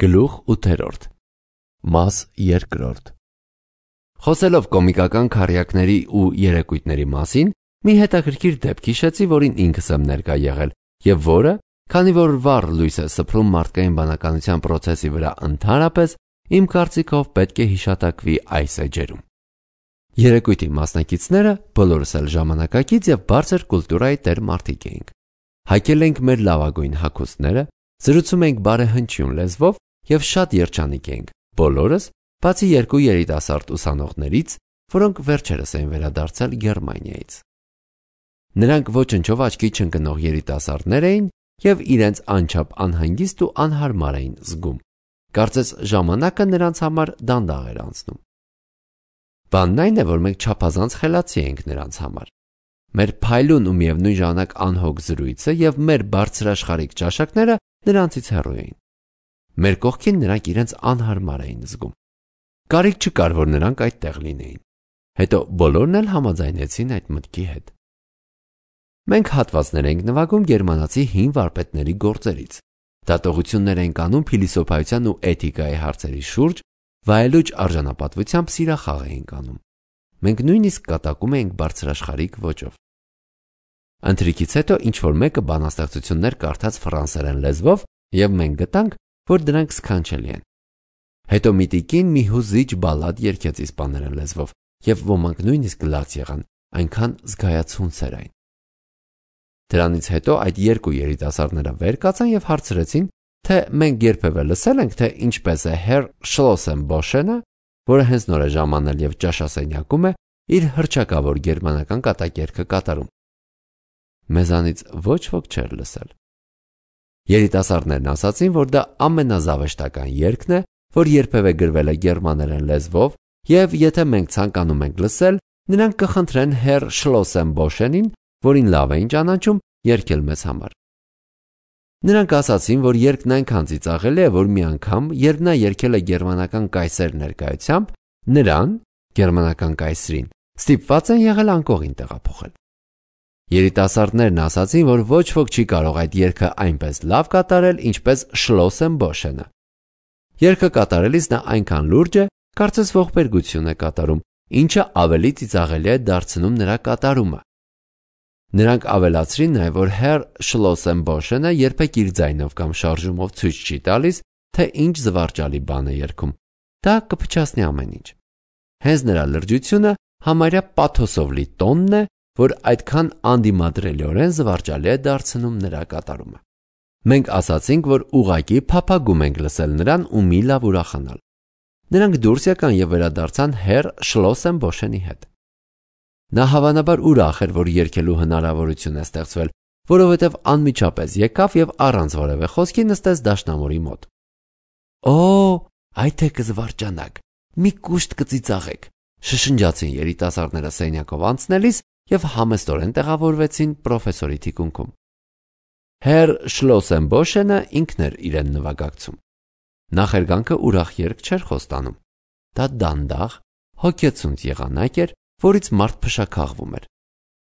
Գլուխ 8 Մաս 2 Խոսելով կոմիկական քառյակների ու երեկույթների մասին, մի հետաքրքիր դեպք հիշեցի, որին ինքս եմ ներկա եղել, և որը, քանի որ վառ լույս է սփռում մարդկային բանականության պրոցեսի վրա ընդհանրապես, իմ կարծիքով պետք է հիշատակվի այս էջերում։ Երեկույթի մասնակիցները բոլորս էլ ժամանակակից և բարձր կուլտուրայի տեր մարդիկ էինք։ Հայկել ենք մեր լավագույն հագուստները, զրուցում էինք բարեհնչյուն լեզվով և շատ երջանիկ էինք, բոլորս, բացի երկու երիտասարդ ուսանողներից, որոնք վերջերս էին վերադարձել Գերմանիայից։ Նրանք ոչնչով աչքի չընկնող երիտասարդներ էին և իրենց անչափ անհանգիստ ու անհարմար էին զգում։ Կարծես ժամանակը նրանց համար դանդաղ էր անցնում։ Բանն այն է, որ մենք չափազանց խելացի էինք նրանց համար։ Մեր փայլուն ու միևնույն ժամանակ անհոգ զրույցը և մեր բարձրաշխարհիկ ճաշակները նրանցից հեռու էին։ Մեր կողքին նրանք իրենց անհարմար էին զգում։ Կարիք չկար, որ նրանք այդտեղ լինեին։ Հետո բոլորն էլ համաձայնեցին այդ մտքի հետ։ Մենք հատվածներ էինք նվագում գերմանացի հին վարպետների գործերից։ Դատողություններ էինք անում փիլիսոփայության ու էթիկայի հարցերի շուրջ, վայելուչ արժանապատվությամբ սիրախաղ էինք անում։ Մենք նույնիսկ կատակում էինք բարձրաշխարհիկ ոճով։ Ընթրիքից հետո ինչ-որ մեկը բանաստեղծություններ կարդաց ֆրանսերեն լեզվով, և մենք գտանք, որ դրանք սքանչելի են։ Հետո մի տիկին մի հուզիչ բալլադ երգեց իսպաներեն լեզվով, և ոմանք նույնիսկ լաց եղան, այնքան զգայացունց էր այն։ Դրանից հետո այդ երկու երիտասարդները վեր կացան և հարցրեցին, թե մենք երբևէ լսել ենք, թե ինչպես է Հեր Շլոսենբոշենը, որը հենց նոր է ժամանել և ճաշասենյակում է, իր հռչակավոր գերմանական կատակերգը կատարում։ Մեզանից ոչ ոք չէր լսել։ Երիտասարդներն ասացին, որ դա ամենազավեշտական երգն է, որ երբևէ գրվել է գերմաներեն լեզվով, և եթե մենք ցանկանում ենք լսել, նրանք կխնդրեն Հեր Շլոսենբոշենին, որին լավ էին ճանաչում, երգել մեզ համար։ Նրանք ասացին, որ երգն այնքան ծիծաղելի է, որ մի անգամ, երբ նա երգել է գերմանական կայսեր ներկայությամբ, նրան, գերմանական կայսրին, ստիպված են եղել անկողին տեղափոխել։ Երիտասարդներն ասացին, որ ոչ ոք չի կարող այդ երգը այնպես լավ կատարել, ինչպես Շլոսենբոշենը։ Երգը կատարելիս նա այնքան լուրջ է, կարծես ողբերգություն է կատարում, ինչը ավելի ծիծաղելի է դարձնում նրա կատարումը։ Նրանք ավելացրին նաև, որ Հեր Շլոսենբոշենը երբեք իր ձայնով կամ շարժումով ցույց չի տալիս, թե ինչ զվարճալի բան է երգում։ Դա կփչացնի ամեն ինչ։ Հենց նրա լրջությունը համարյա պաթոսով լի տոնն է, որ այդքան անդիմադրելիորեն զվարճալի է դարձնում նրա կատարումը։ Մենք ասացինք, որ ուղղակի փափագում ենք լսել նրան ու մի լավ ուրախանալ։ Նրանք դուրս եկան և վերադարձան Հեր Շլոսենբոշենի հետ։ Նա հավանաբար ուրախ էր, որ երգելու հնարավորություն է ստեղծվել, որովհետև անմիջապես եկավ և առանց որևէ խոսքի նստեց դաշնամուրի մոտ։ Օ, այ թե կզվարճանաք, մի կուշտ կծիծաղեք, շշնջացին երիտասարդները սենյակով անցնելիս և համեստորեն տեղավորվեցին պրոֆեսորի թիկունքում։ Հեր Շլոսենբոշենը ինքն էր իրեն նվագակցում։ Նախերգանքը ուրախ երգ չէր խոստանում։ Դա դանդաղ, հոգեցունց եղանակ էր, որից մարդ փշաքաղվում էր։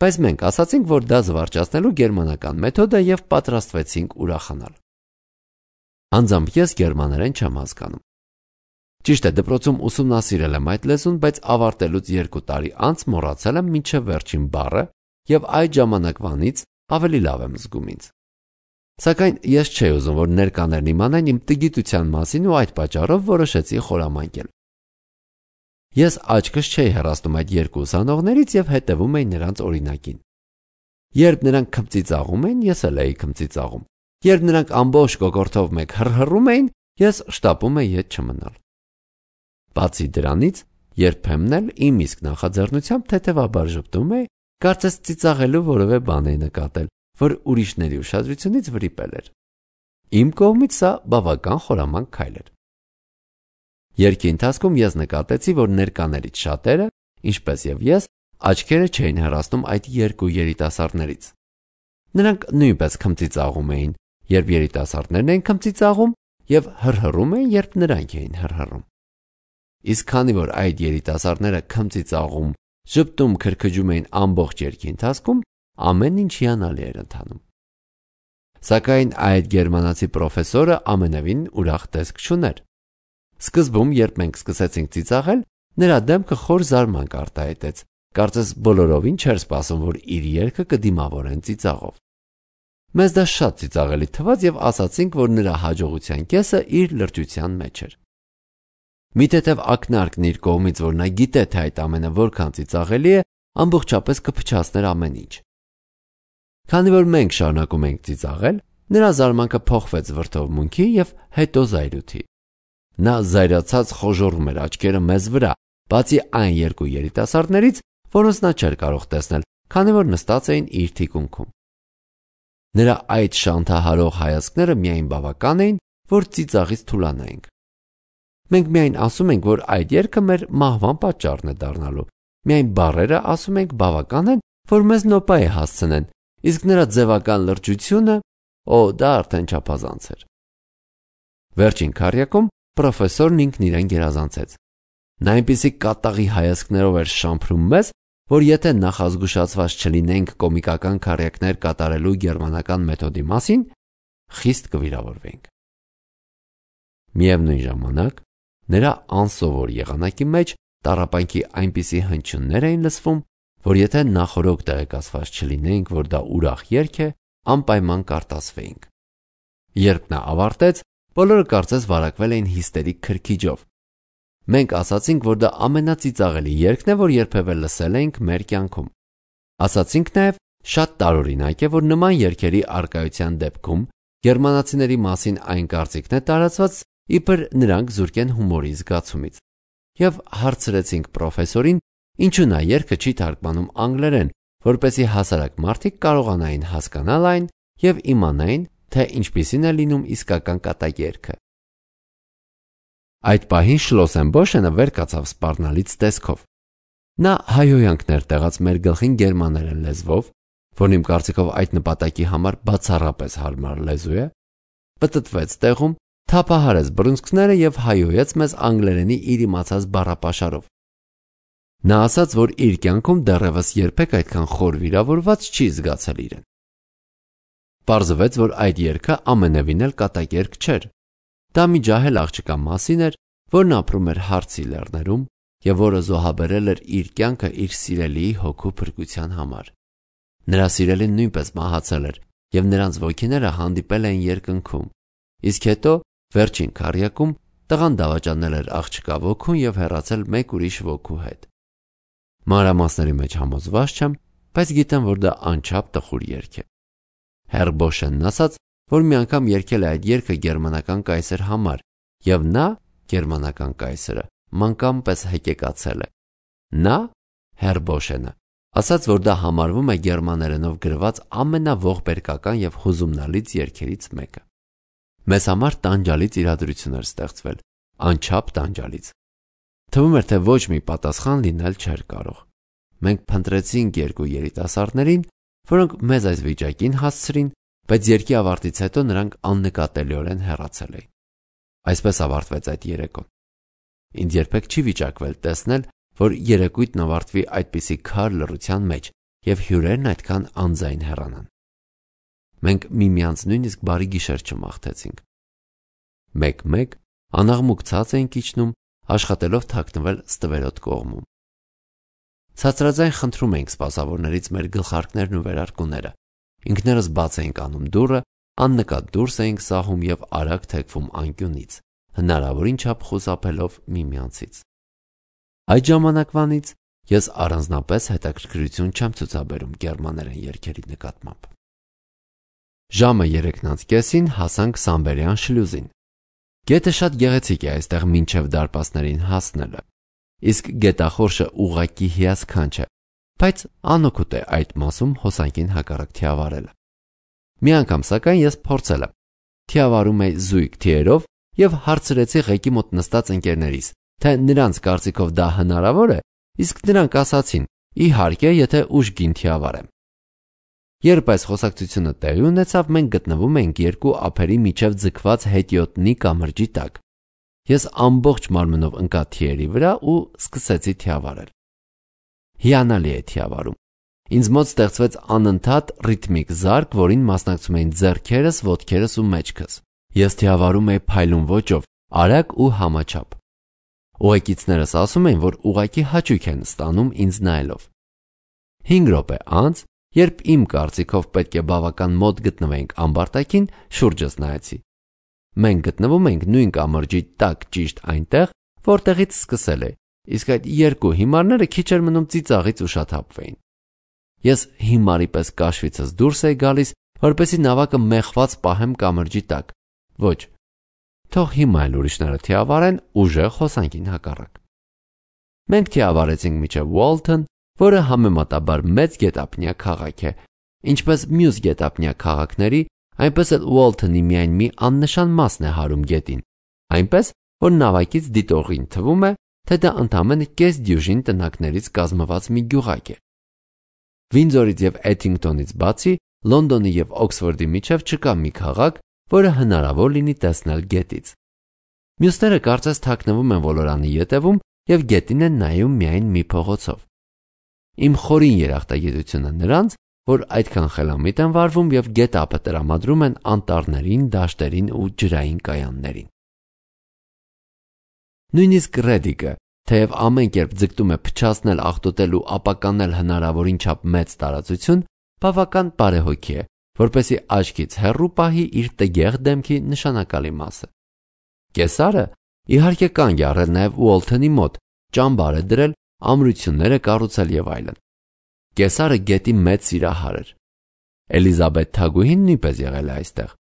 Բայց մենք ասացինք, որ դա զվարճացնելու գերմանական մեթոդ է և պատրաստվեցինք ուրախանալ։ Անձամբ ես գերմաներեն չեմ հասկանում։ Ճիշտ է, դպրոցում ուսումնասիրել եմ այդ լեզուն, բայց ավարտելուց 2 տարի անց մոռացել եմ մինչև վերջին բառը և այդ ժամանակվանից ավելի լավ եմ զգում ինձ։ Սակայն ես չէի ուզում, որ ներկաներն իմանան իմ տգիտության մասին ու այդ պատճառով որոշեցի խորամանկել։ Ես աչքս չէի հեռացնում այդ երկու ուսանողներից և հետևում էի նրանց օրինակին։ Երբ նրանք քմծիծաղում էին, ես էլ էի քմծիծաղում։ Երբ նրանք ամբողջ կոկորդով մեկ հռհռում էին, ես շտապում էի հետ չմնալ։ Բացի դրանից, երբեմն էլ իմ իսկ նախաձեռնությամբ թեթևաբար ժպտում էի, կարծես ծիծաղելու որևէ բան էի նկատել, որ ուրիշների ուշադրությունից վրիպել էր։ Իմ կողմից սա բավական խորամանկ քայլ էր։ Երգի ընթացքում ես նկատեցի, որ ներկաներից շատերը, ինչպես և ես, աչքերը չէին հեռացնում այդ երկու երիտասարդներից։ Նրանք նույնպես քմծիծաղում էին, երբ երիտասարդներն էին քմծիծաղում, և հռհռում էին, երբ նրանք էին հռհռում։ Իսկ քանի որ այդ երիտասարդները քմծիծաղում, ժպտում, քրքջում էին ամբողջ երգի ընթացքում, ամեն ինչ հիանալի էր ընթանում։ Սակայն այդ գերմանացի պրոֆեսորը ամենևին ուրախ տեսք չուներ։ Սկզբում, երբ մենք սկսեցինք ծիծաղել, նրա դեմքը խոր զարմանք արտահայտեց, կարծես բոլորովին չէր սպասում, որ իր երգը կդիմավորեն ծիծաղով։ Մեզ դա շատ ծիծաղելի թվաց եւ ասացինք, որ նրա հաջողության կեսը իր լրջության մեջ էր։ Մի թեթև ակնարկն իր կողմից, որ նա գիտե, թե այդ ամենը որքան ծիծաղելի է, ամբողջապես կփչացներ ամեն ինչ։ Քանի որ մենք շարունակում ենք ծիծաղել, նրա զարմանքը փոխվեց վրդովմունքի եւ հետո զայրույթի։ Նա զայրացած խոժոռում էր աչքերը մեզ վրա, բացի այն երկու երիտասարդներից, որոնց նա չէր կարող տեսնել, քանի որ նստած էին իր թիկունքում։ Նրա այդ շանթահարող հայացքները միայն բավական էին, որ ծիծաղից թուլանայինք։ Մենք միայն ասում ենք, որ այդ երգը մեր մահվան պատճառն է դառնալու։ Միայն բառերը ասում ենք բավական են, որ մեզ նոպա է հասցնեն, իսկ նրա ձևական լրջությունը, դա արդեն չափազանց էր։ Վերջին քառյակում պրոֆեսորն ինքն իրեն գերազանցեց։ Նա այնպիսի կատաղի հայացքներով էր շամփրում մեզ, որ եթե նախազգուշացված չլինենք կոմիկական քառյակներ կատարելու գերմանական մեթոդի մասին, խիստ կվիրավորվենք։ Միևնույն ժամանակ, նրա անսովոր եղանակի մեջ տառապանքի այնպիսի հնչյուններ էին լսվում, որ եթե նախօրոք տեղեկացված չլինեինք, որ դա ուրախ երգ է, անպայման կարտասվեինք։ Երբ նա ավարտեց, բոլորը կարծես վարակվել էին հիստերիկ քրքիջով։ Մենք ասացինք, որ դա ամենածիծաղելի երգն է, որ երբևէ լսել էինք մեր կյանքում։ Ասացինք նաև, շատ տարօրինակ է, որ նման երգերի առկայության դեպքում գերմանացիների մասին այն կարծիքն է տարածված, իբր նրանք զուրկ են հումորի զգացումից։ Եվ հարցրեցինք պրոֆեսորին, ինչու նա երգը չի թարգմանում անգլերեն, որպեսզի հասարակ մարդիկ կարողանային հասկանալ այն եւ իմանային, թե ինչպիսին է լինում իսկական կատակերգը։ Այդ պահին Շլոսենբոշենը վեր կացավ սպառնալից տեսքով։ Նա հայհոյանքներ տեղաց մեր գլխին գերմաներեն լեզվով, որն իմ կարծիքով այդ նպատակի համար բացառապես հարմար լեզու է, պտտվեց տեղում, թափահարեց բռունցքները եւ հայհոյեց մեզ անգլերենի իր իմացած բառապաշարով։ Նա ասաց, որ իր կյանքում դեռևս երբեք այդքան խոր վիրավորված չի զգացել իրեն։ Պարզվեց, որ այդ երգը ամենևին էլ կատակերգ չէր։ Դա մի ջահել աղջկա մասին էր, որն ապրում էր Հարցի լեռներում եւ որը զոհաբերել էր իր կյանքը իր սիրելիի հոգու փրկության համար։ Նրա սիրելին նույնպես մահացել էր եւ նրանց ոգիները հանդիպել էին երկնքում։ Իսկ հետո, վերջին քառյակում, տղան դավաճանել էր աղջկա ոգուն եւ հեռացել մեկ ուրիշ ոգու հետ։ Մանրամասների մեջ համոզված չեմ, բայց գիտեմ, որ դա անչափ տխուր երգ է։ Հերբոշենն ասաց, որ մի անգամ երգել է այդ երգը գերմանական կայսր համար, եւ նա, գերմանական կայսրը, մանկան պես հեկեկացել է։ Նա, Հերբոշենը, ասաց, որ դա համարվում է գերմաներենով գրված ամենաողբերգական եւ հուզումնալից երգերից մեկը։ Մեզ համար տանջալից իրադրություն էր ստեղծվել, անչափ տանջալից։ Թվում էր, թե ոչ մի պատասխան լինել չէր կարող։ Մենք փնտրեցինք երկու երիտասարդներին, որոնք մեզ այս վիճակին հասցրին, բայց երգի ավարտից հետո նրանք աննկատելիորեն հեռացել էին։ Այսպես ավարտվեց այդ երեկոն։ Ինձ երբեք չի վիճակվել տեսնել, որ երեկույթն ավարտվի այդպիսի քար լռության մեջ եւ հյուրերն այդքան անձայն հեռանան։ Մենք միմյանց նույնիսկ բարի գիշեր չմաղթեցինք։ Մեկ-մեկ անաղմուկ ցած էինք իջնում, աշխատելով թաքնվել ստվերոտ կողմում։ Ցածրաձայն խնդրում էինք սպասավորներից մեր գլխարկներն ու վերարկուները։ Ինքներս բաց էինք անում դուռը, աննկատ դուրս էինք սահում եւ արագ թեքվում անկյունից, հնարավորին չափ խուսափելով միմյանցից։ Այդ ժամանակվանից ես առանձնապես հետաքրքրություն չեմ ցուցաբերում գերմաներեն երգերի նկատմամբ։ Ժամը 3:30-ին հասանք Սամբերյան շլյուզին։ Գետը շատ գեղեցիկ է այստեղ մինչև դարպասներին հասնելը, իսկ գետախորշը ուղղակի հիասքանչ է, բայց անօգուտ է այդ մասում հոսանքին հակառակ թիավարելը։ Մի անգամ սակայն ես փորձել եմ։ Թիավարում էի զույգ թիերով եւ հարցրեցի ղեկի մոտ նստած ընկերներիս, թե նրանց կարծիքով դա հնարավոր է, իսկ նրանք ասացին. իհարկե, եթե ուժգին թիավարեմ։ Երբ այս խոսակցությունը տեղի ունեցավ, մենք գտնվում էինք երկու ափերի միջև ձգված հետիոտնի կամրջի տակ։ Ես ամբողջ մարմնով ընկա թիերի վրա ու սկսեցի թիավարել։ Հիանալի է թիավարում։ Ինձ մոտ ստեղծվեց անընդհատ ռիթմիկ զարկ, որին մասնակցում էին ձեռքերս, ոտքերս ու մեջքս։ Ես թիավարում էի փայլուն ոճով, արագ ու համաչափ։ Ուղեկիցներս ասում էին, որ ուղղակի հաճույք են ստանում ինձ նայելով։ 5 րոպե անց, երբ իմ կարծիքով պետք է բավական մոտ գտնվեինք ամբարտակին, շուրջս նայեցի։ Մենք գտնվում ենք նույն կամրջի տակ ճիշտ այնտեղ, որտեղից սկսել էի, իսկ այդ երկու հիմարները քիչ էր մնում ծիծաղից ուշաթափվեին։ Ես հիմարի պես կաշվիցս դուրս էի գալիս, որպեսզի նավակը մեխված պահեմ կամրջի տակ։ Ոչ, թող հիմա էլ ուրիշները թիավարեն, ուժեղ հոսանքին հակառակ։ Մենք թիավարեցինք մինչև Ուոլթոն, որը համեմատաբար մեծ գետափնյա քաղաք է, ինչպես մյուս գետափնյա քաղաքների, այնպես էլ Ուոլթոնի միայն մի աննշան մասն է հարում գետին, այնպես որ նավակից դիտողին թվում է, թե դա ընդամենը կես դյուժին տնակներից կազմված մի գյուղակ է։ Վինձորից և Էթինգթոնից բացի Լոնդոնի և Օքսֆորդի միջև չկա մի քաղաք, որը հնարավոր լինի տեսնել գետից։ Մյուսները կարծես թաքնվում են ոլորանի ետևում և գետին են նայում միայն մի փողոցով։ Իմ խորին երախտագիտությունը նրանց, որ այդքան խելամիտ են վարվում և գետափը տրամադրում են անտառներին, դաշտերին ու ջրային կայաններին։ Նույնիսկ Ռեդիկը, թեև ամեն կերպ ձգտում է փչացնել, աղտոտել ու ապականել հնարավորին չափ մեծ տարածություն, բավական բարեհոգի է, որպեսզի աչքից հեռու պահի իր տգեղ դեմքի նշանակալի մասը։ Կեսարը իհարկե կանգ է առել նաև Ուոլթոնի մոտ, ճամբար է դրել, ամրություններ է կառուցել և այլն։ Կեսարը գետի մեծ սիրահար էր։ Էլիզաբեթ Թագուհին նույնպես եղել է այստեղ։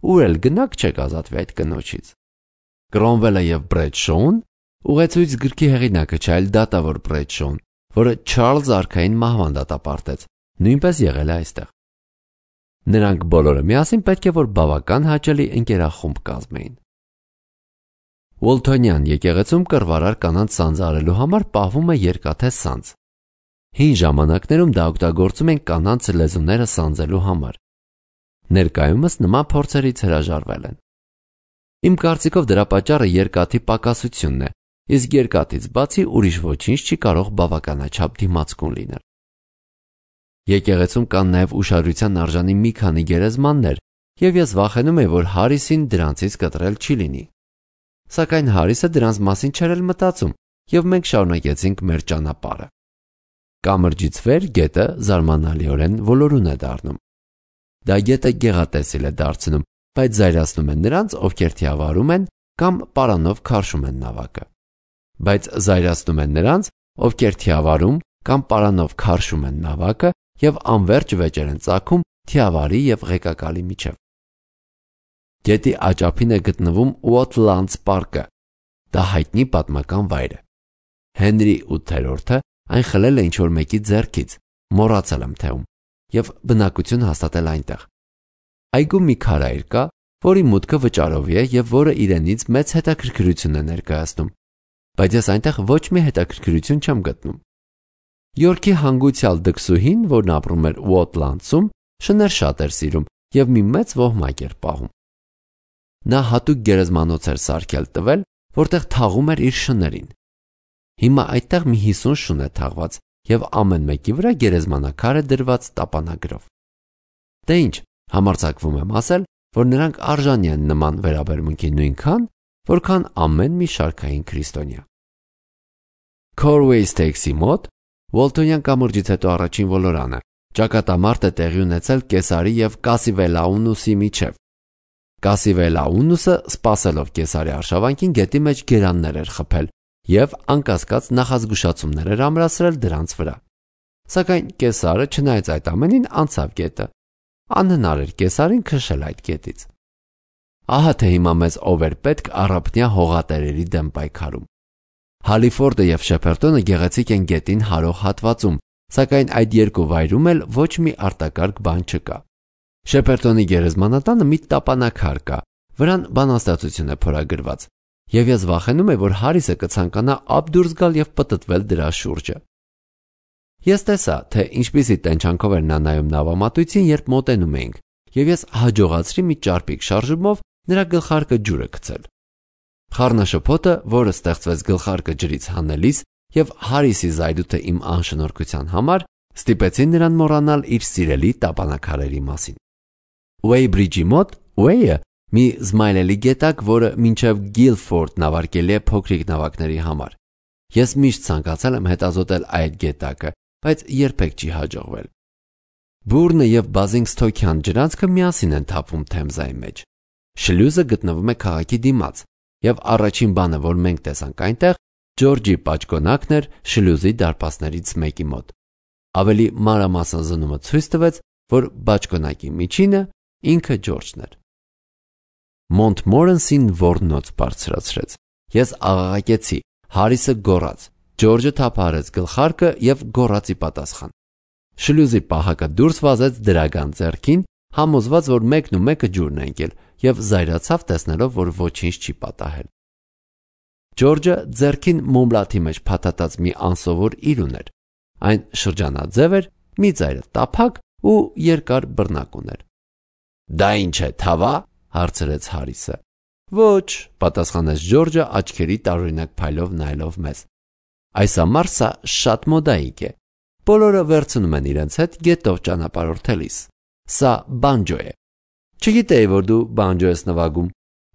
Ուր էլ գնաք չեք ազատվի այդ կնոջից։ Կրոմվելը և Բրեդշոուն, ուղեցույց գրքի հեղինակը չէ, այլ դատավոր Բրեդշոուն, որը Չարլզ արքային մահվան դատապարտեց, նույնպես եղել է այստեղ։ Նրանք բոլորը միասին պետք է որ բավական հաճելի ընկերախումբ կազմեին։ Ուոլթոնյան եկեղեցում կռվարար կանանց սանձարելու համար պահվում է երկաթե սանձ։ Հին ժամանակներում դա օգտագործում են կանանց լեզուները սանձելու համար։ Ներկայումս նման փորձերից հրաժարվել են։ Իմ կարծիքով դրա պատճառը երկաթի պակասությունն է, իսկ երկաթից բացի ուրիշ ոչինչ չի կարող բավականաչափ դիմացկուն լինել։ Եկեղեցում կան նաև ուշադրության արժանի մի քանի գերեզմաններ, և ես վախենում եմ, որ Հարիսին դրանցից կտրել չի լինի։ Սակայն Հարիսը դրանց մասին չէր էլ մտածում, և մենք շարունակեցինք մեր ճանապարհը։ Կամրջից վեր գետը զարմանալիորեն ոլորուն է դառնում։ Դա գետը գեղատեսիլ է դարձնում, բայց զայրացնում է նրանց, ովքեր թիավարում են կամ պարանով քարշում են նավակը։ Բայց զայրացնում է նրանց, ովքեր թիավարում կամ պարանով քարշում են նավակը և անվերջ վեճեր են ծագում թիավարի և ղեկակալի միջև։ Գետի աճափին է գտնվում Ուոտլանդս պարկը։ Դա հայտնի պատմական վայր է։ Հենրի 8-րդը այն խլել է ինչ-որ մեկի ձեռքից, մոռացել եմ թե ում, և բնակություն հաստատել այնտեղ։ Այգու մի քարայր կա, որի մուտքը վճարովի է և որը իրենից մեծ հետաքրքրություն է ներկայացնում, բայց ես այնտեղ ոչ մի հետաքրքրություն չեմ գտնում։ Յորքի հանգուցյալ դքսուհին, որն ապրում էր Ուոտլանդսում, շներ շատ էր սիրում և մի մեծ ոհմակ էր պահում։ Նա հատուկ գերեզմանոց էր սարքել տվել, որտեղ թաղում էր իր շներին։ Հիմա այդտեղ մի 50 շուն է թաղված և ամեն մեկի վրա գերեզմանակար է դրված տապանագրով։ Դե ինչ, համարձակվում եմ ասել, որ նրանք արժանի են նման վերաբերմունքի նույնքան, որքան ամեն մի շարքային քրիստոնյա։ Corway Stakes-ի մոտ Ուոլթոնյան կամրջից հետո առաջին ոլորանը ճակատամարտ է տեղի ունեցել Կեսարի և Կասիվելաունուսի միջև։ Կասիվելաունուսը, սպասելով Կեսարի արշավանքին, գետի մեջ գերաններ էր խփել և անկասկած նախազգուշացումներ էր ամրացրել դրանց վրա։ Սակայն Կեսարը, չնայած այդ ամենին, անցավ գետը։ Անհնար էր Կեսարին քշել այդ գետից։ Ահա թե հիմա մեզ ով էր պետք առափնյա հողատերերի դեմ պայքարում։ Հալիֆորդը և Շեփերտոնը գեղեցիկ են գետին հարող հատվածում, սակայն այդ երկու վայրում էլ ոչ մի արտակարգ բան չկա։ Շեփերտոնի գերեզմանատանը մի տապանակար կա, վրան բանաստեղծություն է փորագրված, և ես վախենում եմ, որ Հարիսը կցանկանա ափ դուրս գալ և պտտվել դրա շուրջը։ Ես տեսա, թե ինչպիսի տենչանքով էր նա նայում նավամատույցին, երբ մոտենում էինք, և ես հաջողացրի մի ճարպիկ շարժումով նրա գլխարկը ջուրը գցել։ Խառնաշփոթը, որը ստեղծվեց գլխարկը ջրից հանելիս, և Հարիսի զայրույթը իմ անշնորհքության համար Ստիպեցին նրան մոռանալ իր սիրելի տապանաքարերի մասին։ Ուեյբրիջի մոտ Ուեյը մի զմայլելի գետակ, որը մինչև Գիլֆորդ նավարկելի է փոքրիկ նավակների համար։ Ես միշտ ցանկացել եմ հետազոտել այդ գետակը, բայց երբեք չի հաջողվել։ Բուրնը եւ Բազինգսթոքյան ջրանցքը միասին են թափվում Թեմզայի մեջ։ Շլյուզը գտնվում է քաղաքի դիմաց, եւ առաջին բանը, որ մենք տեսանք այնտեղ, Ջորջի պատկոնակն էր շլյուզի դարպասներից մեկի մոտ։ Ավելի մանրամասն զնումը ցույց տվեց, որ պատկոնակի միջինը ինքը Ջորջն էր։ Մոնտմորենսին ոռնոց բարձրացրեց։ Ես աղաղակեցի, Հարիսը գոռաց։ Ջորջը թափահարեց գլխարկը եւ գոռաց ի պատասխան։ Շլյուզի պահակը դուրս վազեց դրական ձեռքին, համոզված, որ մեկն ու մեկը ջուրն է ընկել, եւ զայրացավ տեսնելով, որ ոչինչ չի պատահել։ Ջորջը ձեռքին մոմլաթի մեջ փաթաթած մի անսովոր իր ուներ։ Այն շրջանաձև էր, մի ծայրը տափակ ու երկար բռնակ ուներ։ Դա ինչ է, թավա, հարցրեց Հարիսը։ Ոչ, պատասխանեց Ջորջը աչքերի տարօրինակ փայլով նայելով մեզ։ Այս ամառ սա շատ մոդայիկ է։ Բոլորը վերցնում են իրենց հետ գետով ճանապարհորդելիս։ Սա բանջո է։ Չգիտեի, որ դու բանջո ես նվագում։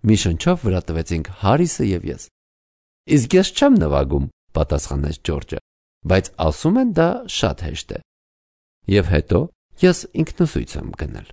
Մի շնչով վրա տվեցինք Հարիսը եւ ես։ Իսկ ես չեմ նվագում, պատասխանեց Ջորջը, բայց ասում են դա շատ հեշտ է։ Եվ հետո ես ինքնուսույց եմ գնել։